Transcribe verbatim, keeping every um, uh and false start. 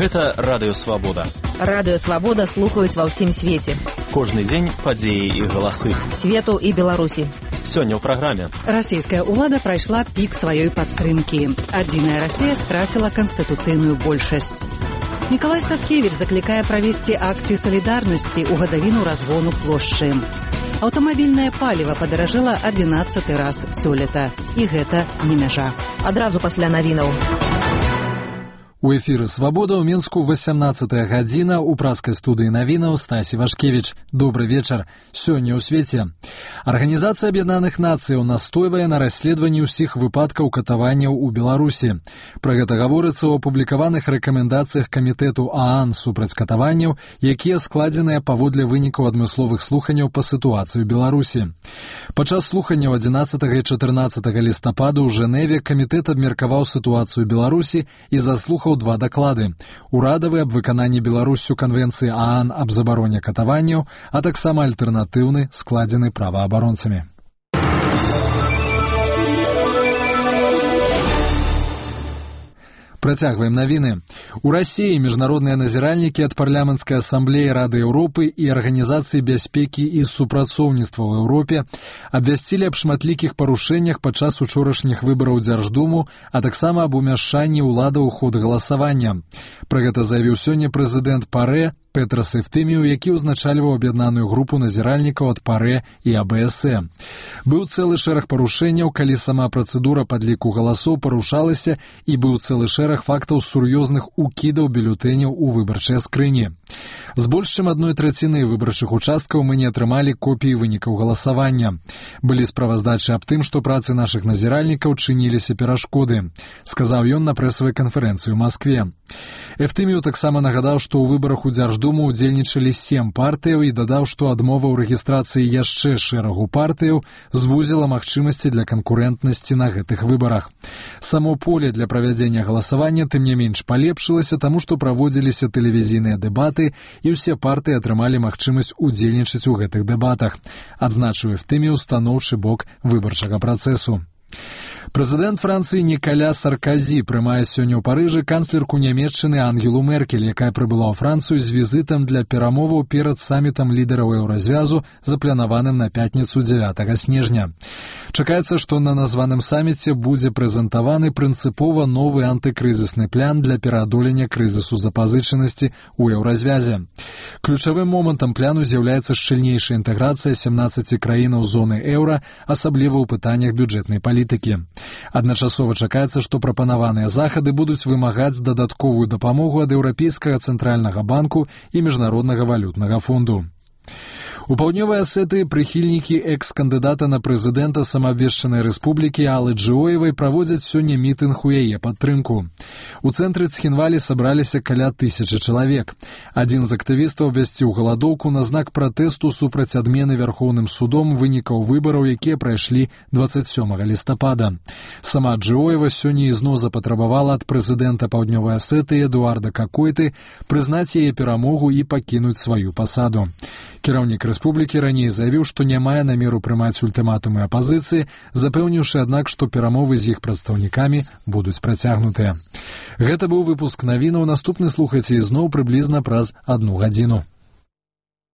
Гэта Радыё Свабода. Радыё Свабода слухаюць ва ўсім свеце. Кожны дзень падзеі і галасы. Свету і Беларусі. Сёння ў праграме. Расійская ўлада прайшла пік сваёй падтрымкі. Адзіная Расія страціла канстытуцыйную большасць. Мікалай Статкевіч заклікае правесці акцыі салідарнасці ў гадавіну разгону плошчы. Аўтамабільнае паліва падаражэла адзінаццаты раз сёлета. І гэта не мяжа. Адразу пасля навінаў. У эфіры «Свабода» ў Мінску васямнаццатая гадзіна, у праскай студыі навінаў Стасі Вашкевіч. Добры вечар. Сёння ў свеце. Арганізацыя Аб'яднаных Нацыяў настойвае на расследаванні ўсіх выпадкаў катаванняў у Беларусі. Пра гэта гаворыцца ў апублікаваных рэкамендацыях камітэту ААН супраць катаванняў, якія складзеныя паводле вынікаў адмысловых слуханняў па сітуацыі ў Беларусі. Падчас слуханняў адзінаццатага і чатырнаццатага лістапада ў Жэневе камітэт абмеркаваў сітуацыю ў Беларусі і заслухаў два даклады. Урадавы аб выкананні Беларусю канвенцыі ААН аб забароне катаванняў, а таксама альтэрнатыўны, складзены праваабаронцамі. Працягваем навіны. У Расіі міжнародныя назіральнікі ад парламенцкай асамблеі Рады Еўропы і Арганізацыі бяспекі і супрацоўніцтва ў Еўропе абвясцілі аб шматлікіх парушэннях падчас учорашніх выбараў Дзярждуму, а таксама аб умяшанні ўлады ў ход галасавання. Пра гэта заявіў сёння прэзідэнт ПАРЭ Петрас Эфтыміў, які ўзначальваў аб'яднаную групу назіральнікаў ад ПАРЭ і АБСЭ. Быў цэлы шэраг парушэнняў, калі сама працэдура падліку галасоў парушалася, і быў цэлы шэраг фактаў сур'ёзных укідаў бюлетэняў у выбарчыя скрыні. З больш чым адной траціны выбарчых участкаў мы не атрымалі копіі вынікаў галасавання. Былі справаздачы аб тым, што працы нашых назіральнікаў чыніліся перашкоды, сказаў ён на прэсавай канферэнцыі ў Маскве. Эфтыміў таксама нагадаў, што ў выбарах у Дзярждуму удзельнічалі сем партыяў і дадаў, што адмова ў рэгістрацыі яшчэ шэрагу партыяў звузіла магчымасці для канкурэнтнасці на гэтых выбарах. Само поле для правядзення галасавання тым не менш палепшылася, таму што праводзіліся тэлевізійныя дэбаты і ўсе партыі атрымалі магчымасць удзельнічаць у гэтых дэбатах, адзначыў Эфтыміў станоўчы бок выбарчага працэсу. Прэзідэнт Францыі Нікаля Сарказі прымае сёння ў Парыжы канцлерку Нямецчыны Ангелу Меркель, якая прыбыла ў Францыю з візітам для перамоваў перад самітам лідараў еўразвязу, запланаваным на пятніцу дзевятага снежня. Чакаецца, што на названым саміце будзе прэзентаваны прынцыпова новы антыкрызісны план для пераадолення крызісу запазычанасці ў еўразвязе. Ключавым момантам плану з'яўляецца шчыльнейшая інтэграцыя сямнаццаці краінаў зоны еўра, асабліва ў пытаннях бюджэтнай палітыкі. Адначасова чакаецца, што прапанаваныя захады будуць вымагаць дадатковую дапамогу ад Еўрапейскага цэнтральнага банку і Міжнароднага валютнага фонду. У Паўднёвай Асетыі прыхільнікі экс-кандыдата на прэзідэнта самаабвешчанай рэспублікі Аллы Джыоевай праводзяць сёння мітынг у яе падтрымку. У цэнтры Цхінвалі сабраліся каля тысячы чалавек. Адзін з актывістаў абвясціў галадоўку на знак пратэсту супраць адмены Вярхоўным судом вынікаў выбараў, якія прайшлі дваццаць сёмага лістапада. Сама Джыоева сёння ізноў запатрабавала ад прэзідэнта Паўднёвай Асетыі Эдуарда Какойты прызнаць яе перамогу і пакінуць сваю пасаду. Кіраўнік рэспублікі раней заявіў, што не мае намеру прымаць ультыматумы апазіцыі, запэўніўшы, аднак, што перамовы з іх прадстаўнікамі будуць працягнутыя. Гэта быў выпуск навінаў. Наступны слухайце ізноў прыблізна праз адну гадзіну.